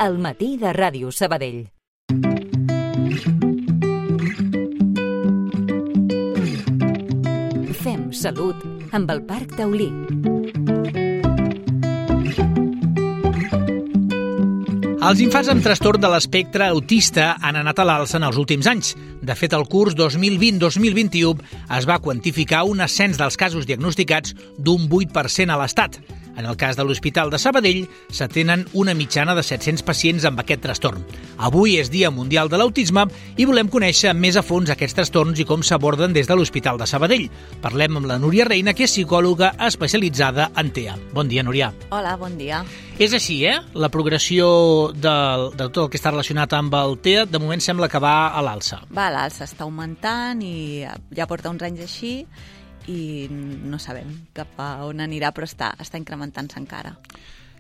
al matí de Ràdio Sabadell. Fem salut amb el Parc Taulí. Els infants amb trastorn de l'espectre autista han anat a l'alça en els últims anys. De fet, el curs 2020-2021 es va quantificar un ascens dels casos diagnosticats d'un 8% a l'Estat. En el cas de l'Hospital de Sabadell, s'atenen una mitjana de 700 pacients amb aquest trastorn. Avui és Dia Mundial de l'Autisme i volem conèixer més a fons aquests trastorns i com s'aborden des de l'Hospital de Sabadell. Parlem amb la Núria Reina, que és psicòloga especialitzada en TEA. Bon dia, Núria. Hola, bon dia. És així, La progressió de tot el que està relacionat amb el TEA, de moment sembla que va a l'alça. Va a l'alça, està augmentant i ja porta uns anys així i no sabem cap a on anirà, però està incrementant-se encara.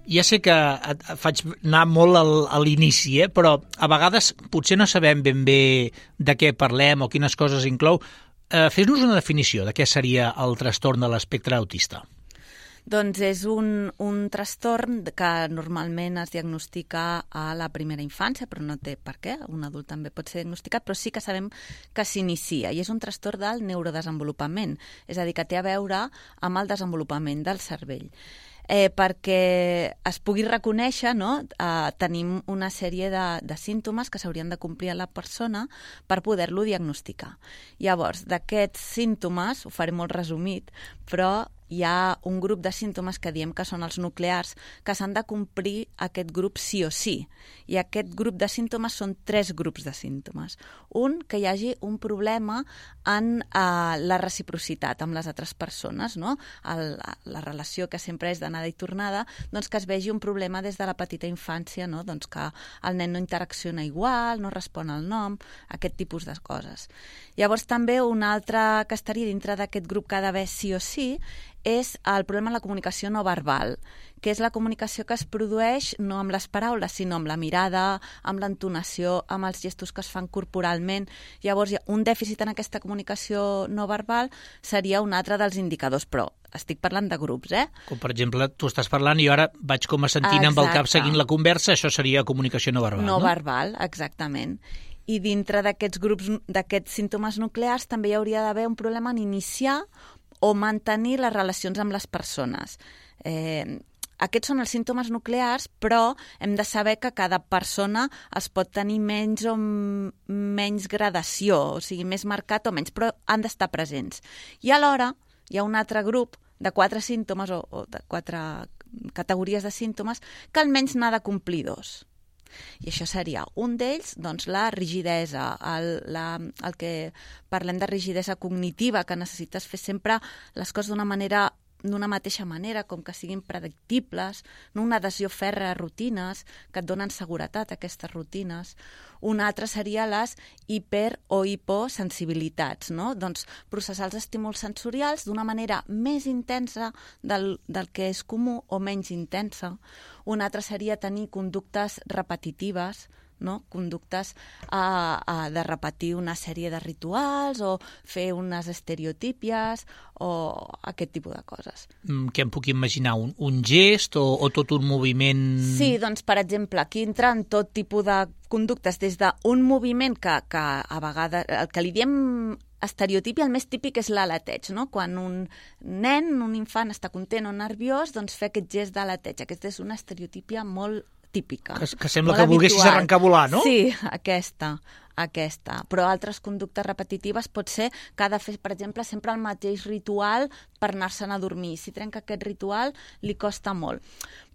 Ja sé que et faig anar molt a l'inici, però a vegades potser no sabem ben bé de què parlem o quines coses inclou. Fes-nos una definició de què seria el trastorn de l'espectre autista. Doncs és un trastorn que normalment es diagnostica a la primera infància, però no té per què, un adult també pot ser diagnosticat, però sí que sabem que s'inicia, i és un trastorn del neurodesenvolupament, és a dir, que té a veure amb el desenvolupament del cervell. Perquè es pugui reconèixer, tenim una sèrie de símptomes que s'haurien de complir a la persona per poder-lo diagnosticar. Llavors, d'aquests símptomes, ho faré molt resumit, però hi ha un grup de símptomes que diem que són els nuclears, que s'han de complir aquest grup sí o sí. I aquest grup de símptomes són 3 grups de símptomes. Un, que hi hagi un problema en la reciprocitat amb les altres persones, no? La relació que sempre és d'anada i tornada, doncs que es vegi un problema des de la petita infància, no? Doncs que el nen no interacciona igual, no respon al nom, aquest tipus de coses. Llavors també un altre que estaria dintre d'aquest grup que ha d'haver sí o sí és el problema de la comunicació no verbal, que és la comunicació que es produeix no amb les paraules, sinó amb la mirada, amb l'entonació, amb els gestos que es fan corporalment. Llavors, un dèficit en aquesta comunicació no verbal seria un altre dels indicadors, però estic parlant de grups, Com, per exemple, tu estàs parlant i jo ara vaig com a sentint amb el cap seguint la conversa, això seria comunicació no verbal, no? No verbal, exactament. I dintre d'aquests grups, d'aquests símptomes nuclears, també hi hauria d'haver un problema en iniciar o mantenir les relacions amb les persones. Aquests són els símptomes nuclears, però hem de saber que cada persona es pot tenir menys o menys gradació, o sigui, més marcat o menys, però han d'estar presents. I alhora hi ha un altre grup de 4 símptomes o de 4 categories de símptomes que almenys n'ha de complir 2. I això seria un d'ells, doncs la rigidesa, el que parlem de rigidesa cognitiva, que necessites fer sempre les coses d'una mateixa manera, com que siguin predictibles, no una adhesió fèrrea a rutines, que et donen seguretat, aquestes rutines. Un altre seria les hiper- o hiposensibilitats, no? Doncs processar els estímuls sensorials d'una manera més intensa del que és comú o menys intensa. Un altre seria tenir conductes repetitives, no? Conductes de repetir una sèrie de rituals o fer unes estereotípies o aquest tipus de coses. Què em puc imaginar? Un gest o tot un moviment? Sí, doncs, per exemple, aquí entren tot tipus de conductes, des d'un moviment que a vegades, el que li diem estereotipi, el més típic és l'aleteig, no? Quan un nen, un infant està content o nerviós, doncs fer aquest gest d'aleteig. Aquesta és una estereotípia molt típica. Que sembla que volguessis arrencar a volar, no? Sí, aquesta. Però altres conductes repetitives pot ser que ha de fer, per exemple, sempre el mateix ritual per anar-se'n a dormir. Si trenca aquest ritual, li costa molt.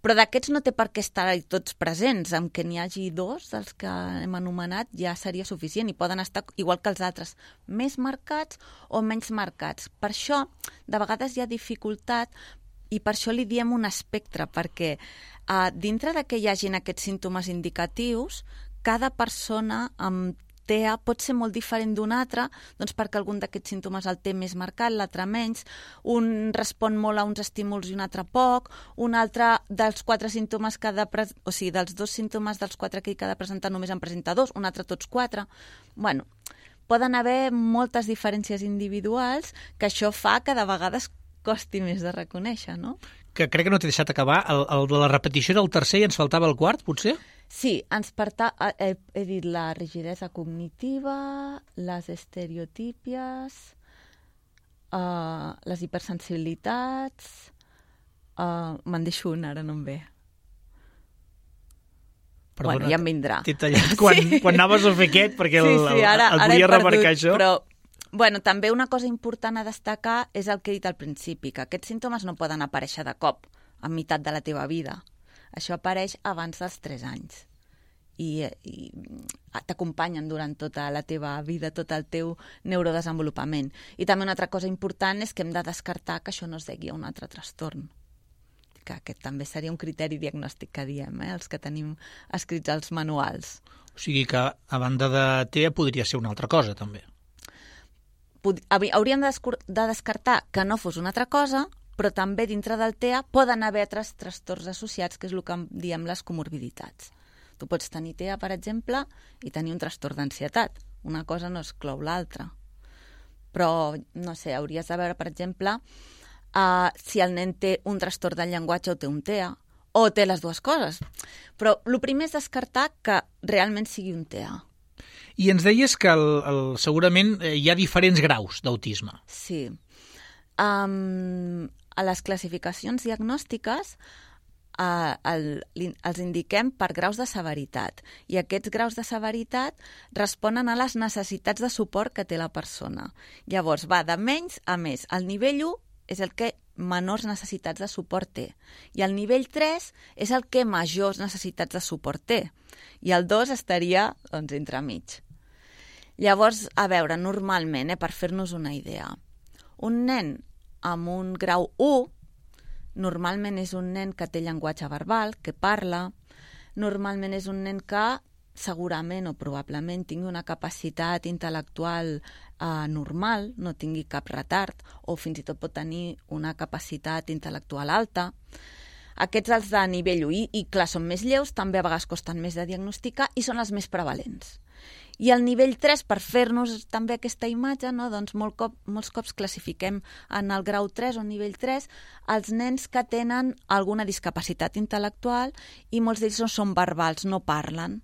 Però d'aquests no té per què estar tots presents. Amb que n'hi hagi 2 dels que hem anomenat ja seria suficient i poden estar, igual que els altres, més marcats o menys marcats. Per això, de vegades hi ha dificultat i per això li diem un espectre, perquè dintre de que hi hagin aquests símptomes indicatius, cada persona amb TEA pot ser molt diferent d'un altre, doncs perquè algun d'aquests símptomes el té més marcat, l'altre menys, un respon molt a uns estímuls i un altre poc, un altre dels 4 símptomes o sigui, dels 2 símptomes dels 4 que ha de presentar només en presenta 2, un altre tots 4. Bueno, poden haver moltes diferències individuals que això fa que de vegades costi més de reconèixer, no? que crec que no t'he deixat acabar, el de la repetició del tercer i ens faltava el quart, potser? Sí, he dit la rigidesa cognitiva, les estereotípies, les hipersensibilitats... me'n deixo una, ara no em ve. Perdona, bueno, ja em vindrà. T'he tallat quan anaves a fer aquest, perquè ara el volia remarcar això. Però, bueno, també una cosa important a destacar és el que he dit al principi, que aquests símptomes no poden aparèixer de cop, a meitat de la teva vida. Això apareix abans dels 3 anys. I t'acompanyen durant tota la teva vida, tot el teu neurodesenvolupament. I també una altra cosa important és que hem de descartar que això no es degui a un altre trastorn. Que aquest també seria un criteri diagnòstic que diem, els que tenim escrits als manuals. O sigui que, a banda de TEA, podria ser una altra cosa, també. Hauríem de descartar que no fos una altra cosa, però també dintre del TEA poden haver altres trastorns associats, que és el que diem les comorbiditats. Tu pots tenir TEA, per exemple, i tenir un trastorn d'ansietat. Una cosa no exclou l'altra. Però, no sé, hauries de veure, per exemple, si el nen té un trastorn del llenguatge o té un TEA, o té les dues coses. Però el primer és descartar que realment sigui un TEA. I ens deies que segurament hi ha diferents graus d'autisme. Sí. A les classificacions diagnòstiques els indiquem per graus de severitat. I aquests graus de severitat responen a les necessitats de suport que té la persona. Llavors, va de menys a més. El nivell 1 és el que menors necessitats de suport té. I el nivell 3 és el que majors necessitats de suport té. I el 2 estaria, doncs, entremig. Llavors, a veure, normalment, per fer-nos una idea, un nen amb un grau 1 normalment és un nen que té llenguatge verbal, que parla, normalment és un nen que segurament o probablement tingui una capacitat intel·lectual normal, no tingui cap retard, o fins i tot pot tenir una capacitat intel·lectual alta. Aquests els de nivell 1 i clar, són més lleus, també a vegades costen més de diagnosticar i són els més prevalents. I el nivell 3, per fer-nos també aquesta imatge, no? Doncs molts cops classifiquem en el grau 3 o nivell 3 els nens que tenen alguna discapacitat intel·lectual i molts d'ells no són verbals, no parlen.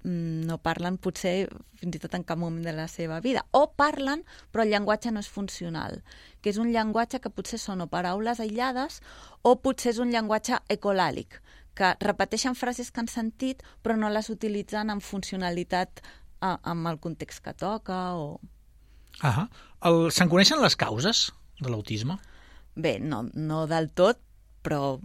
No parlen potser fins i tot en cap moment de la seva vida. O parlen, però el llenguatge no és funcional, que és un llenguatge que potser són o paraules aïllades o potser és un llenguatge ecolàlic, que repeteixen frases que han sentit però no les utilitzen amb funcionalitat amb el context que toca. Se'n coneixen les causes de l'autisme? Bé, no del tot, però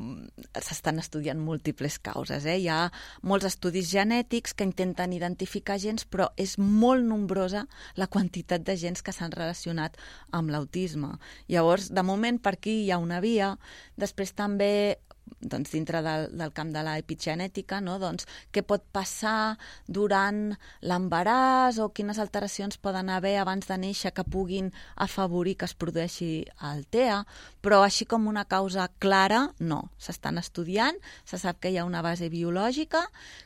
s'estan estudiant múltiples causes. Hi ha molts estudis genètics que intenten identificar gens, però és molt nombrosa la quantitat de gens que s'han relacionat amb l'autisme. Llavors, de moment, per aquí hi ha una via. Després també, doncs, dintre del camp de l'epigenètica, no? Doncs, què pot passar durant l'embaràs o quines alteracions poden haver abans de néixer que puguin afavorir que es produeixi el TEA, però així com una causa clara, no. S'estan estudiant, se sap que hi ha una base biològica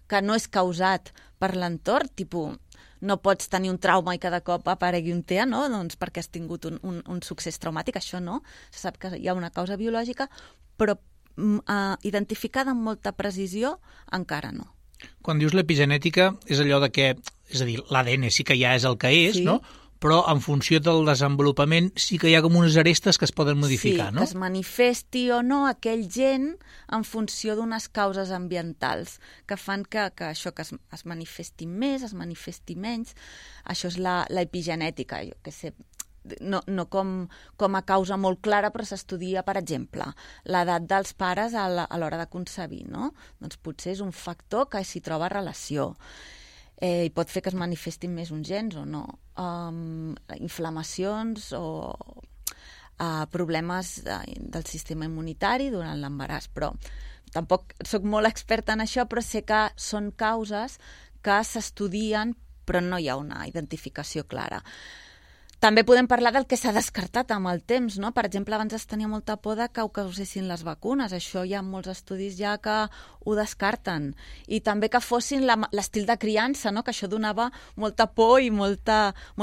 que no és causat per l'entorn, tipus no pots tenir un trauma i cada cop aparegui un TEA, no? Doncs perquè has tingut un succés traumàtic, això no. Se sap que hi ha una causa biològica, però identificada amb molta precisió encara no. Quan dius l'epigenètica és allò de que, és a dir, l'ADN sí que ja és el que és, sí, no? Però en funció del desenvolupament sí que hi ha com unes arestes que es poden modificar, sí, no? Que es manifesti o no aquell gen en funció d'unes causes ambientals que fan que això que es manifesti més, es manifesti menys. Això és l'epigenètica, jo què sé, no com a causa molt clara, però s'estudia, per exemple, l'edat dels pares a l'hora de concebir, no? Doncs potser és un factor que s'hi troba relació. I pot fer que es manifestin més uns gens o no. Inflamacions o problemes del sistema immunitari durant l'embaràs, però tampoc soc molt experta en això, però sé que són causes que s'estudien, però no hi ha una identificació clara. També podem parlar del que s'ha descartat amb el temps, no? Per exemple, abans es tenia molta por de que ho causessin les vacunes. Això hi ha molts estudis ja que ho descarten. I també que fossin l'estil de criança, no? Que això donava molta por i molt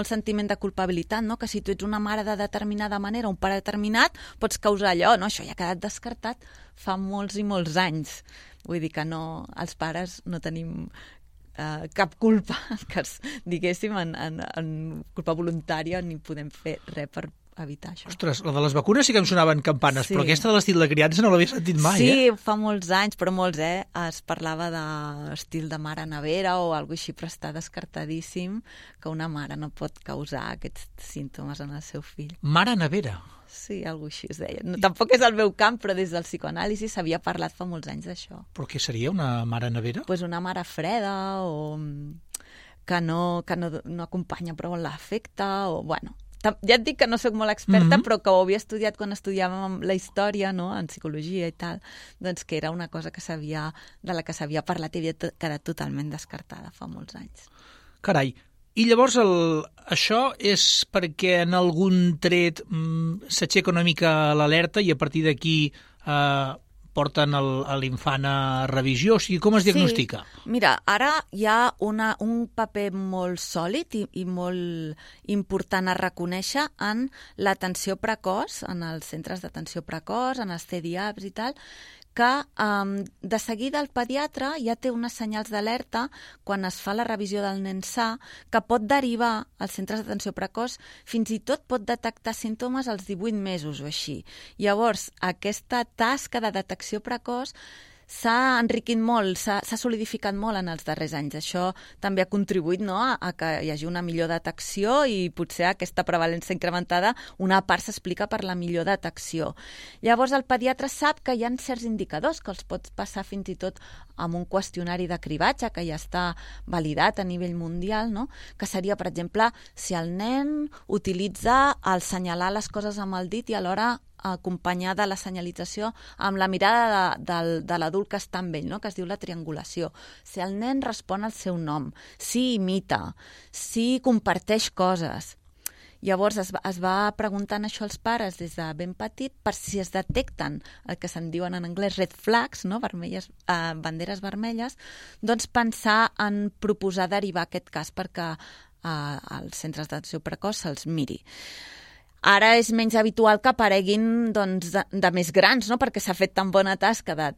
sentiment de culpabilitat, no? Que si tu ets una mare de determinada manera, un pare determinat, pots causar allò, no? Això ja ha quedat descartat fa molts i molts anys. Vull dir que no, els pares no tenim cap culpa, que diguéssim, en culpa voluntària, ni podem fer res per evitar això. Ostres, la de les vacunes sí que em sonaven campanes, sí. Però aquesta de l'estil de criança no l'havia sentit mai, Sí, fa molts anys, però molts, es parlava d'estil de mare nevera o alguna així, però està descartadíssim que una mare no pot causar aquests símptomes en el seu fill. Mare nevera? Sí, alguna així es deia. No, tampoc és el meu camp, però des del psicoanàlisi s'havia parlat fa molts anys d'això. Però què seria, una mare nevera? Pues una mare freda o que no acompanya prou l'afecte o, bueno... Ja et dic que no sóc molt experta, però que ho havia estudiat quan estudiàvem la història, no?, en psicologia i tal, doncs que era una cosa de la que s'havia parlat i havia quedat totalment descartada fa molts anys. Carai. I llavors això és perquè en algun tret s'aixeca una mica l'alerta i a partir d'aquí porten l'infant a revisió? O sigui, com es diagnostica? Sí. Mira, ara hi ha un paper molt sòlid i molt important a reconèixer en l'atenció precoç, en els centres d'atenció precoç, en els CDIAPs i tal, que de seguida el pediatre ja té unes senyals d'alerta quan es fa la revisió del nen sa, que pot derivar als centres d'atenció precoç, fins i tot pot detectar símptomes als 18 mesos o així. Llavors, aquesta tasca de detecció precoç s'ha enriquit molt, s'ha solidificat molt en els darrers anys. Això també ha contribuït, no?, a que hi hagi una millor detecció i potser aquesta prevalència incrementada, una part s'explica per la millor detecció. Llavors el pediatre sap que hi ha certs indicadors que els pot passar fins i tot amb un qüestionari de cribatge que ja està validat a nivell mundial, no?, que seria, per exemple, si el nen utilitza el senyalar les coses amb el dit i alhora acompanyada la senyalització amb la mirada de l'adult que està amb ell, no?, que es diu la triangulació. Si el nen respon al seu nom, si imita, si comparteix coses. Llavors es va preguntant això als pares des de ben petit per si es detecten el que se'n diuen en anglès red flags, no?, banderes vermelles, doncs pensar en proposar derivar aquest cas perquè als centres d'atenció precoç se'ls miri. Ara és menys habitual que apareguin doncs, de més grans, no?, perquè s'ha fet tan bona tasca de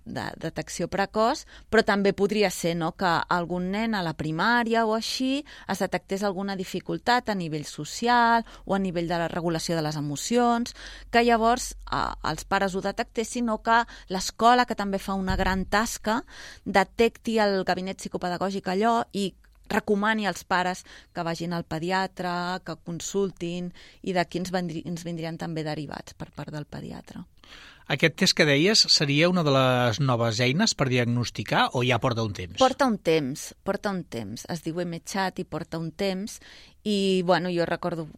detecció precoç, però també podria ser, no?, que algun nen a la primària o així es detectés alguna dificultat a nivell social o a nivell de la regulació de les emocions, que llavors els pares ho detectessin o que l'escola, que també fa una gran tasca, detecti el gabinet psicopedagògic allò i recomani als pares que vagin al pediatre, que consultin i d'aquí ens vindrien també derivats per part del pediatre. Aquest test que deies seria una de les noves eines per diagnosticar o ja porta un temps? Porta un temps. Es diu MChat i porta un temps i, bueno, jo recordo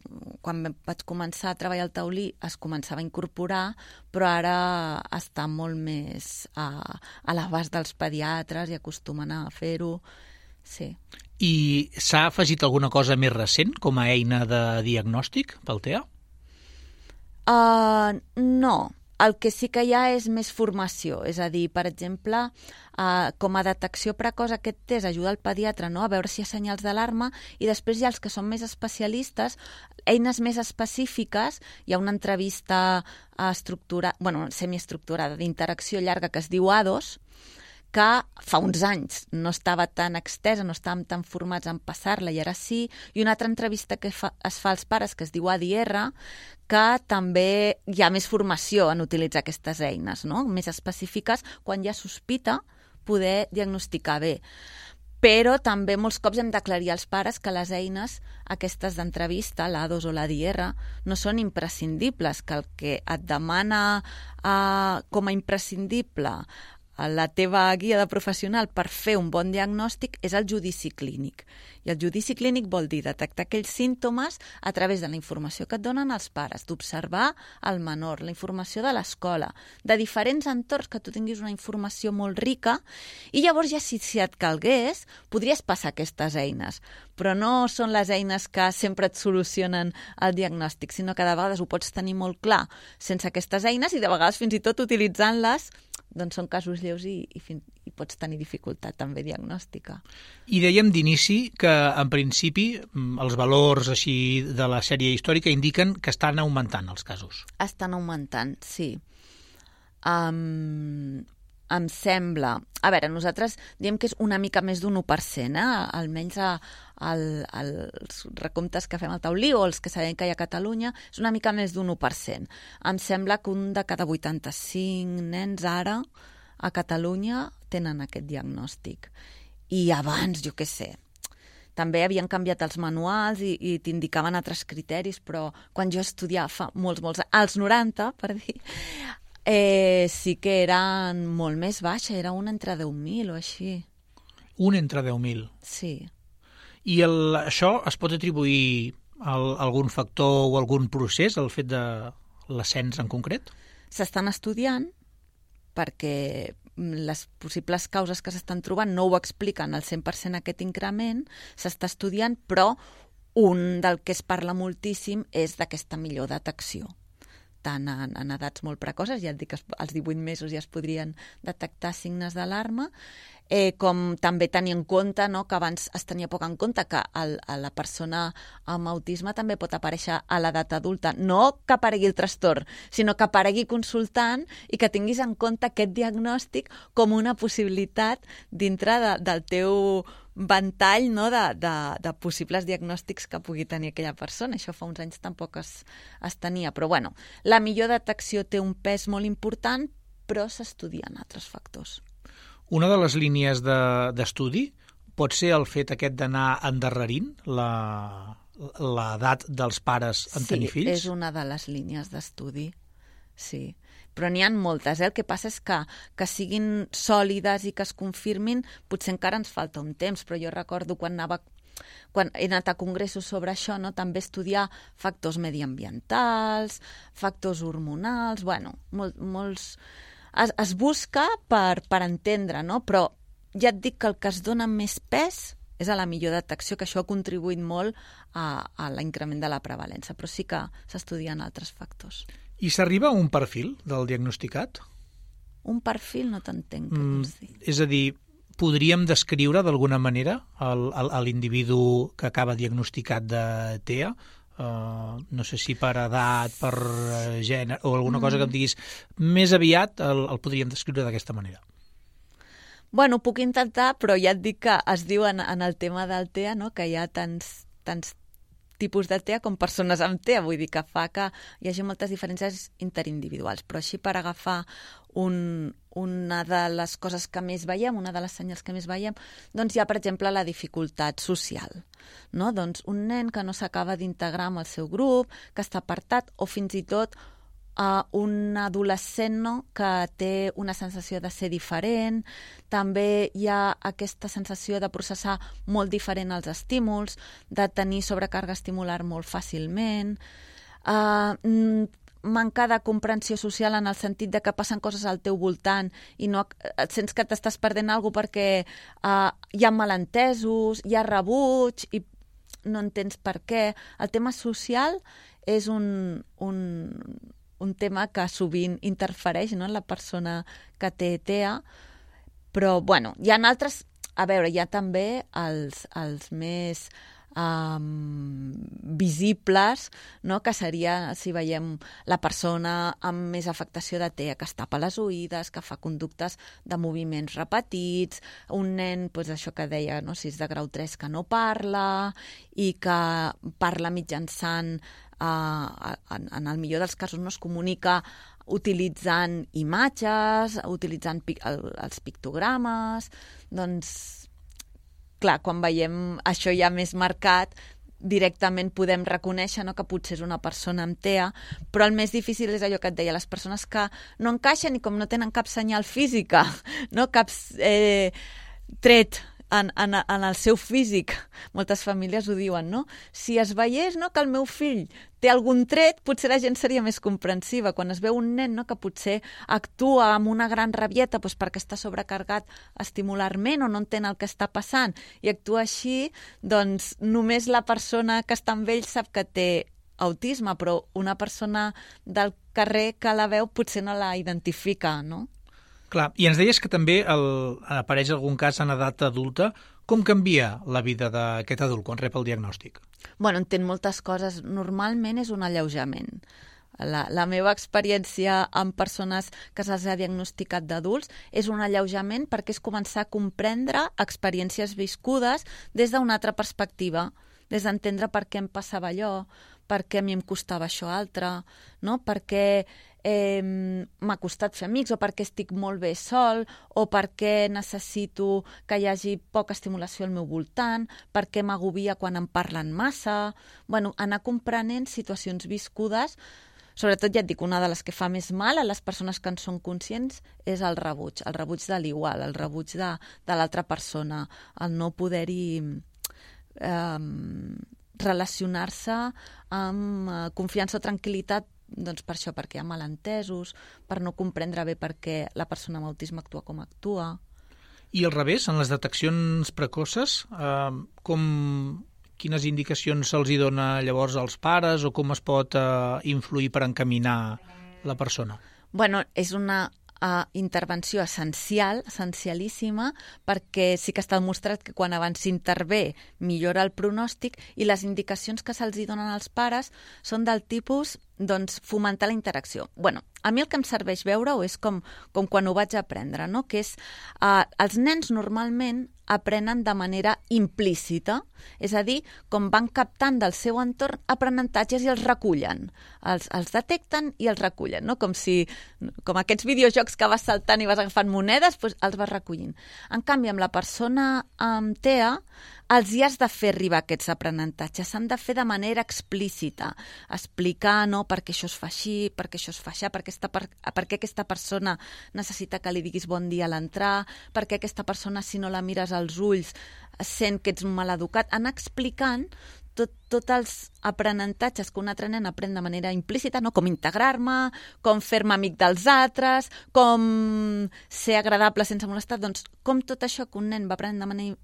quan vaig començar a treballar al taulí es començava a incorporar, però ara està molt més a l'abast dels pediatres i acostumen a fer-ho. Sí. I s'ha afegit alguna cosa més recent com a eina de diagnòstic pel TEA? No. El que sí que hi ha és més formació. És a dir, per exemple, com a detecció precoç aquest test ajuda el pediatre, no?, a veure si hi ha senyals d'alarma i després hi ha els que són més especialistes, eines més específiques. Hi ha una entrevista semiestructurada d'interacció llarga que es diu A2, que fa uns anys no estava tan extesa, no estàvem tan formats en passar-la i ara sí, i una altra entrevista que es fa als pares que es diu ADR, que també hi ha més formació en utilitzar aquestes eines, no?, més específiques, quan hi ha sospita poder diagnosticar bé. Però també molts cops hem d'aclarir als pares que les eines aquestes d'entrevista, l'A2 o l'ADR, no són imprescindibles, que el que et demana com a imprescindible la teva guia de professional per fer un bon diagnòstic és el judici clínic. I el judici clínic vol dir detectar aquells símptomes a través de la informació que et donen els pares, d'observar el menor, la informació de l'escola, de diferents entorns, que tu tinguis una informació molt rica, i llavors ja si et calgués podries passar aquestes eines. Però no són les eines que sempre et solucionen el diagnòstic, sinó que de vegades ho pots tenir molt clar sense aquestes eines i de vegades fins i tot utilitzant-les doncs són casos lleus i pots tenir dificultat també diagnòstica. I dèiem d'inici que, en principi, els valors així de la sèrie històrica indiquen que estan augmentant els casos. Estan augmentant, sí. Em sembla... A veure, nosaltres diem que és una mica més d'un 1%, almenys els recomptes que fem al taulí o els que sabem que hi ha a Catalunya, és una mica més d'un 1%. Em sembla que un de cada 85 nens ara a Catalunya tenen aquest diagnòstic. I abans, jo què sé, també havien canviat els manuals i t'indicaven altres criteris, però quan jo estudiava fa molts, als 90, per dir, sí que eren molt més baixa, era un entre 10.000 o així. Un entre 10.000? Sí. I això es pot atribuir a algun factor o algun procés, el fet de l'ascens en concret? S'estan estudiant perquè les possibles causes que s'estan trobant no ho expliquen al 100% aquest increment, s'està estudiant, però un del que es parla moltíssim és d'aquesta millor detecció. Tant en edats molt precoces, ja et dic que als 18 mesos ja es podrien detectar signes d'alarma, com també tenir en compte, no, que abans es tenia poc en compte que la persona amb autisme també pot aparèixer a l'edat adulta. No que aparegui el trastorn, sinó que aparegui consultant i que tinguis en compte aquest diagnòstic com una possibilitat dintre del teu ventall, no, de possibles diagnòstics que pugui tenir aquella persona. Això fa uns anys tampoc es tenia. Però bueno, la millor detecció té un pes molt important, però s'estudien altres factors. Una de les línies d'estudi pot ser el fet aquest d'anar endarrerint l'edat dels pares en tenir fills? Sí, és una de les línies d'estudi, sí. Però n'hi ha moltes, El que passa és que siguin sòlides i que es confirmin, potser encara ens falta un temps, però jo recordo quan he anat a congressos sobre això, no? També estudiar factors mediambientals, factors hormonals, bueno, molts... Es busca per entendre, no? Però ja et dic que el que es dona més pes és a la millor detecció, que això ha contribuït molt a l'increment de la prevalença, però sí que s'estudien altres factors. I s'arriba a un perfil del diagnosticat? Un perfil? No t'entenc, què vols dir? És a dir, podríem descriure d'alguna manera l'individu que acaba diagnosticat de TEA? No sé si per edat, per gènere, o alguna cosa que em diguis, més aviat el podríem descriure d'aquesta manera. Bueno, puc intentar, però ja et dic que es diu en el tema del TEA, no?, que hi ha tants tipus de TEA com persones amb TEA, vull dir que fa que hi hagi moltes diferències interindividuals, però així per agafar una de les coses que més veiem, una de les senyals que més veiem, doncs hi ha, per exemple, la dificultat social, no? Doncs un nen que no s'acaba d'integrar amb el seu grup, que està apartat, o fins i tot un adolescent, no?, que té una sensació de ser diferent, també hi ha aquesta sensació de processar molt diferent els estímuls, de tenir sobrecàrrega estimular molt fàcilment, manca de comprensió social en el sentit de que passen coses al teu voltant i no et sents que t'estàs perdent alguna cosa perquè hi ha malentesos, hi ha rebuig i no entens per què. El tema social és un tema que sovint interfereix, no?, en la persona que té TEA, però bueno, hi ha altres, a veure, hi ha també els més visibles, no?, que seria si veiem la persona amb més afectació de TEA que es tapa les oïdes, que fa conductes de moviments repetits, un nen, doncs això que deia, no?, si és de grau 3 que no parla i que parla mitjançant en el millor dels casos no es comunica utilitzant imatges, utilitzant els pictogrames, doncs clar, quan veiem això ja més marcat, directament podem reconèixer, no?, que potser és una persona amb TEA, però el més difícil és allò que et deia, les persones que no encaixen i com no tenen cap senyal física, no?, cap tret en el seu físic, moltes famílies ho diuen, no? Si es veiés, no?, que el meu fill té algun tret, potser la gent seria més comprensiva. Quan es veu un nen, no?, que potser actua amb una gran rabieta doncs perquè està sobrecarregat estimularment o no entén el que està passant i actua així, doncs només la persona que està amb ell sap que té autisme, però una persona del carrer que la veu potser no la identifica, no? Clar, i ens deies que també apareix algun cas en edat adulta. Com canvia la vida d'aquest adult quan rep el diagnòstic? Bueno, entén moltes coses. Normalment és un alleujament. La meva experiència amb persones que se'ls ha diagnosticat d'adults és un alleujament perquè és començar a comprendre experiències viscudes des d'una altra perspectiva, des d'entendre per què em passava allò, per què a mi em costava això altre, no? Per què m'ha costat fer amics o perquè estic molt bé sol o perquè necessito que hi hagi poca estimulació al meu voltant, perquè m'agobia quan em parlen massa. Bueno, anar comprenent situacions viscudes. Sobretot, ja et dic, una de les que fa més mal a les persones que en són conscients és el rebuig de l'igual, el rebuig de l'altra persona, el no poder-hi relacionar-se amb confiança o tranquil·litat, doncs per això, perquè hi ha malentesos, per no comprendre bé per què la persona amb autisme actua com actua. I al revés, en les deteccions precoces, quines indicacions se'ls dona llavors als pares o com es pot influir per encaminar la persona? Bueno, és una intervenció essencialíssima, perquè sí que està demostrat que quan abans s'intervé millora el pronòstic i les indicacions que se'ls donen als pares són del tipus, doncs, fomentar la interacció. Bueno, a mi el que em serveix veure-ho és com quan ho vaig aprendre, no? Que és, els nens normalment aprenen de manera implícita, és a dir, com van captant del seu entorn aprenentatges i els recullen. Els detecten i els recullen, no? Com aquests videojocs que vas saltant i vas agafant monedes, doncs els vas recollint. En canvi, amb la persona amb TEA, els hi has de fer arribar aquests aprenentatges, s'han de fer de manera explícita, explicar, no?, per què això es fa així, per què això es fa així, per què aquesta persona necessita que li diguis bon dia a l'entrar, per què aquesta persona, si no la mires als ulls, sent que ets maleducat. Anar explicant tots els aprenentatges que un altre nen aprèn de manera implícita, no? Com integrar-me, com fer-me amic dels altres, com ser agradable sense molestar, doncs com tot això que un nen va aprenent de manera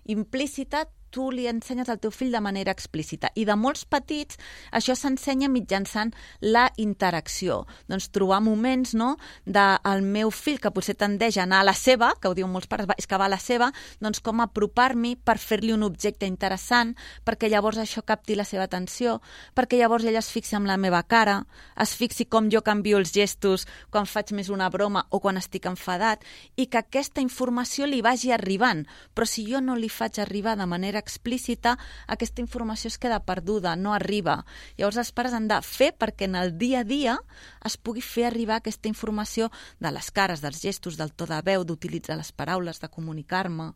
implícita, tu li ensenyes al teu fill de manera explícita. I de molts petits això s'ensenya mitjançant la interacció. Doncs trobar moments, no?, del meu fill que potser tendeix a anar a la seva, que ho diuen molts pares, és que va a la seva, doncs com apropar-m'hi per fer-li un objecte interessant, perquè llavors això capti la seva atenció, perquè llavors ell es fixi en la meva cara, es fixi com jo canvio els gestos quan faig més una broma o quan estic enfadat, i que aquesta informació li vagi arribant. Però si jo no li faig arribar de manera explícita, aquesta informació es queda perduda, no arriba. Llavors els pares han de fer perquè en el dia a dia es pugui fer arribar aquesta informació de les cares, dels gestos, del to de veu, d'utilitzar les paraules, de comunicar-me.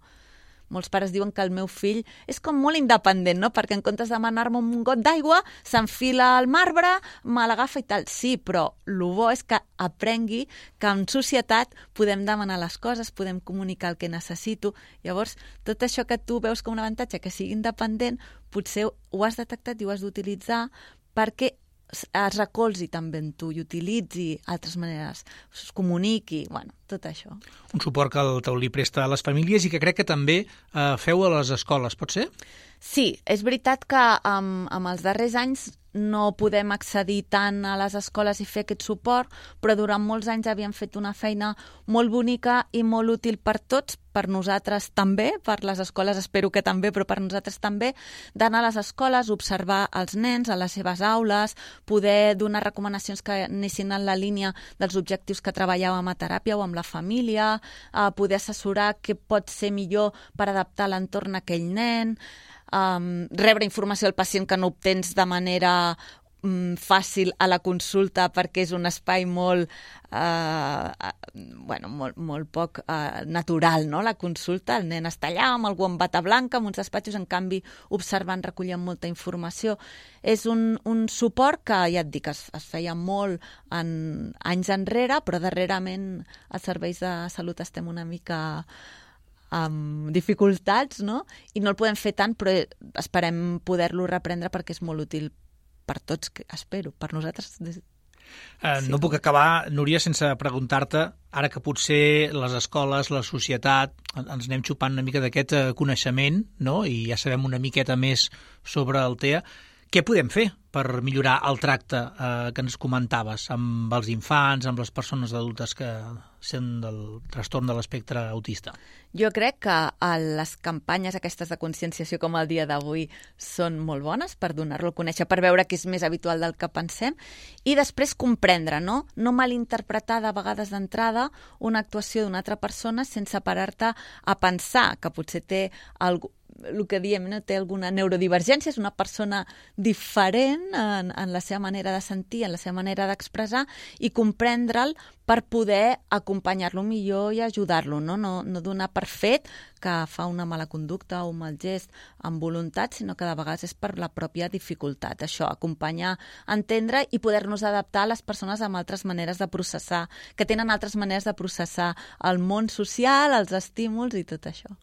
Molts pares diuen que el meu fill és com molt independent, no?, perquè en comptes de demanar-me un got d'aigua, s'enfila al marbre, me l'agafa i tal. Sí, però el bo és que aprengui que en societat podem demanar les coses, podem comunicar el que necessito. Llavors, tot això que tu veus com un avantatge, que sigui independent, potser ho has detectat i ho has d'utilitzar perquè es recolzi també en tu i utilitzi altres maneres, es comuniqui, bueno, tot això. Un suport que el Taulí presta a les famílies i que crec que també feu a les escoles, pot ser? Sí, és veritat que amb els darrers anys no podem accedir tant a les escoles i fer aquest suport, però durant molts anys havíem fet una feina molt bonica i molt útil per tots, per nosaltres també, per les escoles espero que també, però per nosaltres també, d'anar a les escoles, observar els nens a les seves aules, poder donar recomanacions que anessin en la línia dels objectius que treballàvem a teràpia o amb la família, poder assessorar què pot ser millor per adaptar l'entorn a aquell nen, rebre informació del pacient que no obtens de manera fàcil a la consulta perquè és un espai molt poc natural, no? La consulta, el nen està allà amb algú amb bata blanca, amb uns despatxos, en canvi observant, recollint molta informació. És un suport que, ja et dic, es feia molt anys enrere, però darrerament als serveis de salut estem una mica amb dificultats, no? I no el podem fer tant, però esperem poder-lo reprendre perquè és molt útil per tots, espero, per nosaltres. No puc acabar, Núria, sense preguntar-te, ara que potser les escoles, la societat, ens anem xupant una mica d'aquest coneixement, no? I ja sabem una miqueta més sobre el TEA, què podem fer per millorar el tracte que ens comentaves amb els infants, amb les persones adultes que són del trastorn de l'espectre autista? Jo crec que les campanyes aquestes de conscienciació com el dia d'avui són molt bones per donar-lo a conèixer, per veure que és més habitual del que pensem, i després comprendre, no malinterpretar de vegades d'entrada una actuació d'una altra persona sense parar-te a pensar que potser té el que diem, no? Té alguna neurodivergència, és una persona diferent en la seva manera de sentir, en la seva manera d'expressar, i comprendre'l per poder acompanyar-lo millor i ajudar-lo, no donar per fet que fa una mala conducta o un mal gest amb voluntat, sinó que de vegades és per la pròpia dificultat. Això, acompanyar, entendre i poder-nos adaptar a les persones amb altres maneres de processar, que tenen altres maneres de processar el món social, els estímuls i tot això.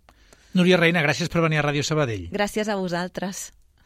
Núria Reina, gràcies per venir a Ràdio Sabadell. Gràcies a vosaltres.